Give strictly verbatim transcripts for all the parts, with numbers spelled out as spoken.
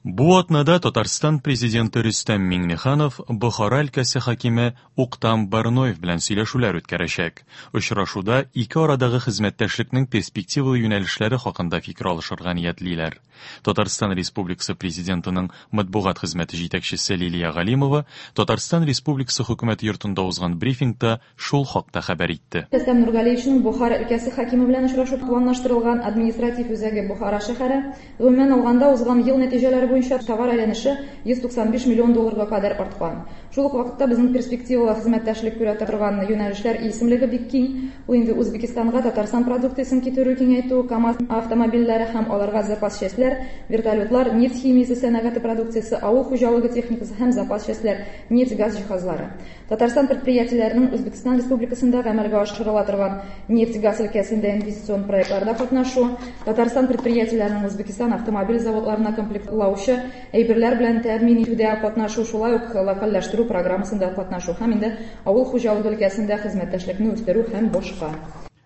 Бу атнада Татарстан президенты Рөстәм Миңнеханов Бохара өлкәсе хакиме Уктам Барноев белән сөйләшүләр үткәрәчәк. Очрашуда ике арадагы хезмәттәшлекнең перспективалы юнәлешләре хакында фикер алышырга ниятлиләр. Татарстан Республикасы президентының матбугат хезмәте җитәкчесе Лилия Галимова Татарстан Республикасы хөкүмәте йортында узган брифингта шул хакта хәбәр итте. Рөстәм Нургалиевичның Бохара өлкәсе хакиме белән очрашу планлаштырылган, административ үзәге Бохара шәһәре. Гомумән алганда, узган ел нәтиҗәләре буенча товар әйләнеше йөз туксан биш миллион долларга кадәр арткан. Шул ук вакытта безнең перспективалы хезмәттәшлек күрә торган юнәлешләр исемлеге бик киң. Ул инде Үзбәкистанга Татарстан продукциясен китерү киңәйтү, КАМАЗ автомобильләре һәм аларга запас частьләр, вертолетлар, нефть химиясе сәнәгате продукциясе, авыл хуҗалыгы техникасы һәм запас частьләр, нефть-газ җиһазлары. Татарстан предприятиеләренең Үзбәкистан Республикасында гамәлгә ашырыла торган нефть-газ өлкәсендә инвестицион проектларда катнашу, Татарстан предприятиеләренең Үзбәкистан автомобиль заводларына комплектлаучы әйберләр белән тәэмин итүдә катнашу, шулай ук локальләштерү программасында катнашу һәм инде авыл хуҗалыгы өлкәсендә хезмәттәшлекне үстерү һәм башка.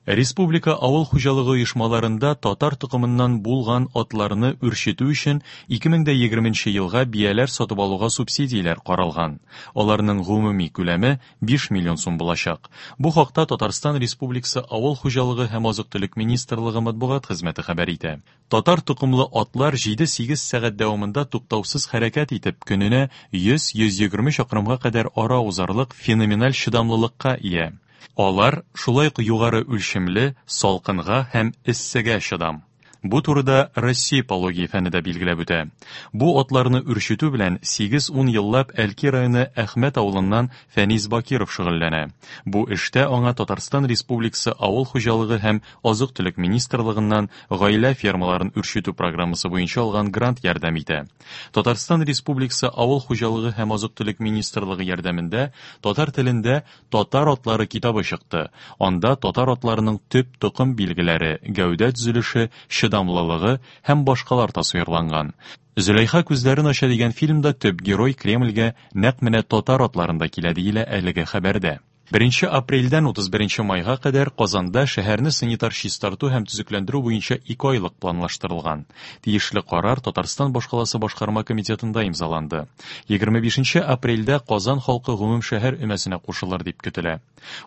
Республика авыл хуҗалыгы оешмаларында татар токымыннан булган атларны үрчетү өчен ике мең дә егерменче елга бияләр сатып алуга субсидияләр каралган. Аларның гомуми күләме биш миллион сум булачак. Бу хакта Татарстан Республикасы Авыл хуҗалыгы һәм азык-төлек министрлыгы матбугат хезмәте хәбәр итә. Татар токымлы атлар җиде-сигез сәгать дәвамында туктаусыз хәрәкәт итеп, көненә йөз-йөз егерме чакрымга кадәр ара узарлык феноменаль чыдамлылыкка ия. Алар шулай ук югары үлчемле, салкынга һәм эссегә чыдам. Бу турыда Россия иппология фәне дә билгеләп үтә. Бу атларны үрчетү белән сигез-ун еллап Әлки районы Әхмәт авылыннан Фәнис Бакиров шөгыльләнә. Бу эштә аңа Татарстан Республикасы Авыл хуҗалыгы һәм азык-төлек министрлыгыннан гаилә фермаларын үрчетү программасы буенча алган грант ярдәм итә. Татарстан Республикасы Авыл хуҗалыгы һәм азык-төлек министрлыгы ярдәмендә татар телендә Татар атлары китабы чыкты. Анда татар атларының төп токым билгеләре, гәүдә төзелеше, чыдамлылыгы һәм башкалар тасвирланган. Зөләйха күзләрен ача дигән фильмда төп герой Кремльгә нәкъ менә татар атларында килә диелә әлеге хәбәрдә. Беренче апрельдән утыз беренче майга кадәр Казанда шәһәрне санитар чистарту һәм төзекләндерү буенча ике айлык планлаштырылган. Тиешле карар Татарстан башкаласы башкарма комитетында имзаланды. Егерме бишенче апрельдә Казан халкы гомум шәһәр өмәсенә кушылыр дип көтелә.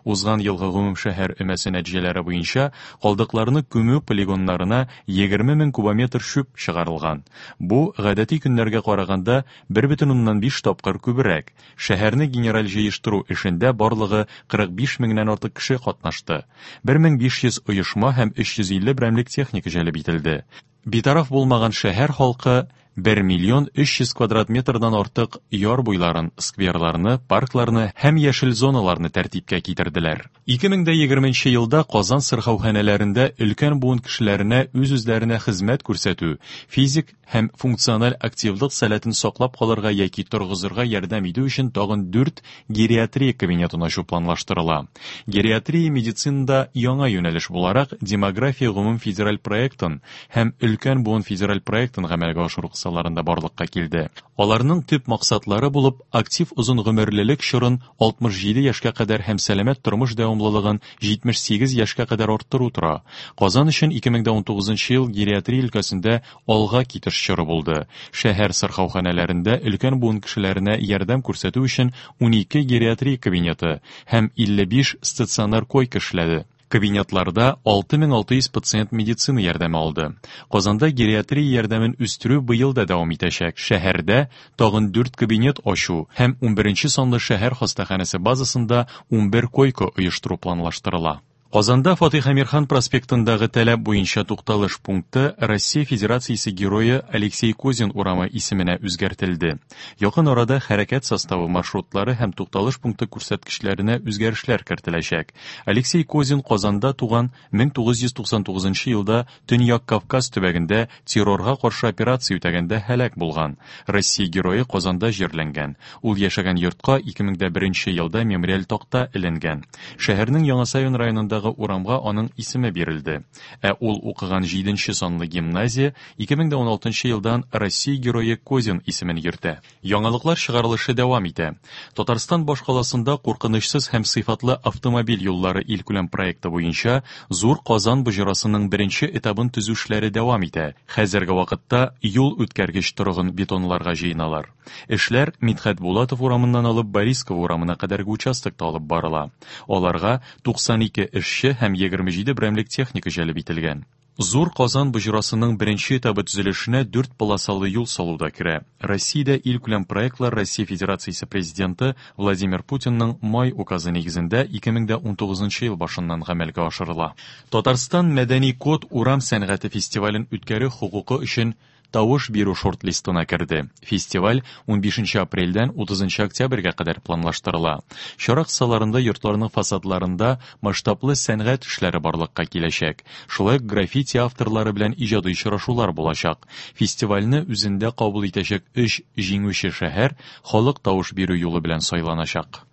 Узган елгы гомум шәһәр өмәсе нәтиҗәләре буенча калдыкларны күмү полигоннарына егерме мең кубометр чүп чыгарылган. Бу гадәти көннәргә караганда бер бөтен уннан биш тапкыр күбрәк. Шәһәрне генераль җыештыру эшендә барлыгы кырык биш меңнән артык кеше катнашты. Бер мең биш йөз оешма һәм өч йөз илле берәмлек техника җәлеп ителде. Битараф булмаган шәһәр халкы бер миллион өч йөз квадрат метрдан артык яр буйларын, скверларны, паркларны һәм яшел зоналарны тәртипкә китерделәр. Ике мең дә егерменче елда Казан сырхауханәләрендә өлкән буын кешеләренә үз-үзләренә хезмәт күрсәтү, физик һәм функциональ активлык сәләтен саклап калырга яки торгызырга ярдәм итү өчен тагын дүрт гериатрия кабинетын ачу планлаштырыла. Гериатрия медицинада яңа юнәлеш буларак демография гомум федераль проектын һәм өлкән буын федераль проектын гамәлгә ашыру кысаларында барлыкка килде. Аларның төп максатлары булып актив озын гомерлелек чорын алтмыш җиде яшькә кадәр һәм сәламәт тормыш дәвамлылыгын җитмеш сигез яшькә кадәр арттыру тора. Казан өчен ике мең дә унтугызынчы ел гериатрия өлкәсендә алга китеш чоры булды. Шәһәр сырхауханәләрендә өлкән буын кешеләренә ярдәм күрсәтү өчен унике гериатрия кабинеты һәм илле биш стационар койка эшләде. Кабинетларда алты мең алты йөз пациент медицина ярдәме алды. Казанда гериатрия ярдәмен үстерү быел да дәвам итәчәк. Шәһәрдә тагын дүрт кабинет ачу һәм унберенче санлы шәһәр хастаханәсе базасында унбер койка оештыру планлаштырыла. Казанда Фатих Әмирхан проспектындагы таләп буенча тукталыш пункты Россия Федерациясе герое Алексей Козин урамы исеменә үзгәртелде. Якын арада хәрәкәт составы маршрутлары һәм тукталыш пункты күрсәткечләренә үзгәрешләр кертеләчәк. Алексей Козин Казанда туган мең тугыз йөз туксан тугызынчы елда Төньяк Кавказ төбәгендә террорга каршы операция үтәгәндә һәлак булган. Россия герое Казанда җирләнгән. Ул яшәгән йортка ике мең дә беренче елда мемориаль такта эленгән. Шәһәрнең Яңа Савин районындагы Казандагы урамга аның исеме бирелде. Ә ул укыган җиденче санлы гимназия ике мең дә уналтынчы елдан Россия герое Козин исемен йөртә. Яңалыклар чыгарылышы дәвам итә. Татарстан башкаласында куркынычсыз һәм сыйфатлы автомобиль юллары илкүләм проекты буенча Зур Казан боҗрасының беренче этабын төзү эшләре дәвам итә. Хәзерге вакытта юл үткәргеч торыгын бетонларга җыеналар. Эшләр Мидхәт Булатов урамыннан алып Борисково урамына кадәрге участокта алып барыла. Аларга туксан ике эшче һәм егерме җиде берәмлек техника җәлеп ителгән. Зур Казан боҗрасының беренче этабы төзелешенә дүрт полосалы юл салу да керә. Россиядә илкүләм проектлар Россия Федерациясе президенты Владимир Путинның май указы нигезендә ике мең дә унтугызынчы ел башыннан гамәлгә ашырыла. Татарстан мәдәни код урам сәнгате фестивален үткәрү хокукы өчен тавыш бирү шорт-листына керде. Фестиваль унбишенче апрельдән утызынчы октябрьгә кадәр планлаштырыла. Чара кысаларында йортларның фасадларында масштаблы сәнгать эшләре барлыкка киләчәк. Шулай ук граффити авторлары белән иҗади очрашулар булачак. Фестивальне үзендә кабул итәчәк өч җиңүче шәһәр халык тавыш бирү юлы белән сайланачак.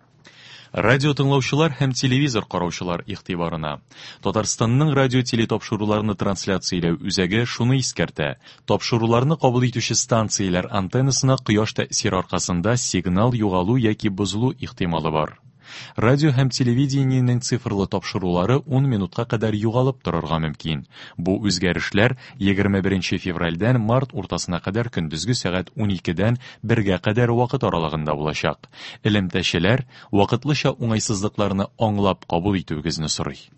Радио тыңлаучылар һәм телевизор караучылар игътибарына. Татарстанның радио телетапшыруларны трансляцияләү үзәге шуны искәртә. Тапшыруларны кабул итүче станцияләр антеннасына кояш тәэсире аркасында сигнал югалу яки бозылу ихтималы бар. Радио һәм телевидениенең цифрлы тапшырулары ун минутка кадәр югалып торырга мөмкин. Бу үзгәрешләр егерме беренче февральдән март уртасына кадәр көндезге сәгать уникедән бергә кадәр вакыт аралыгында булачак. Элемтәчеләр вакытлыча уңайсызлыкларны аңлап кабул итүегезне сорый.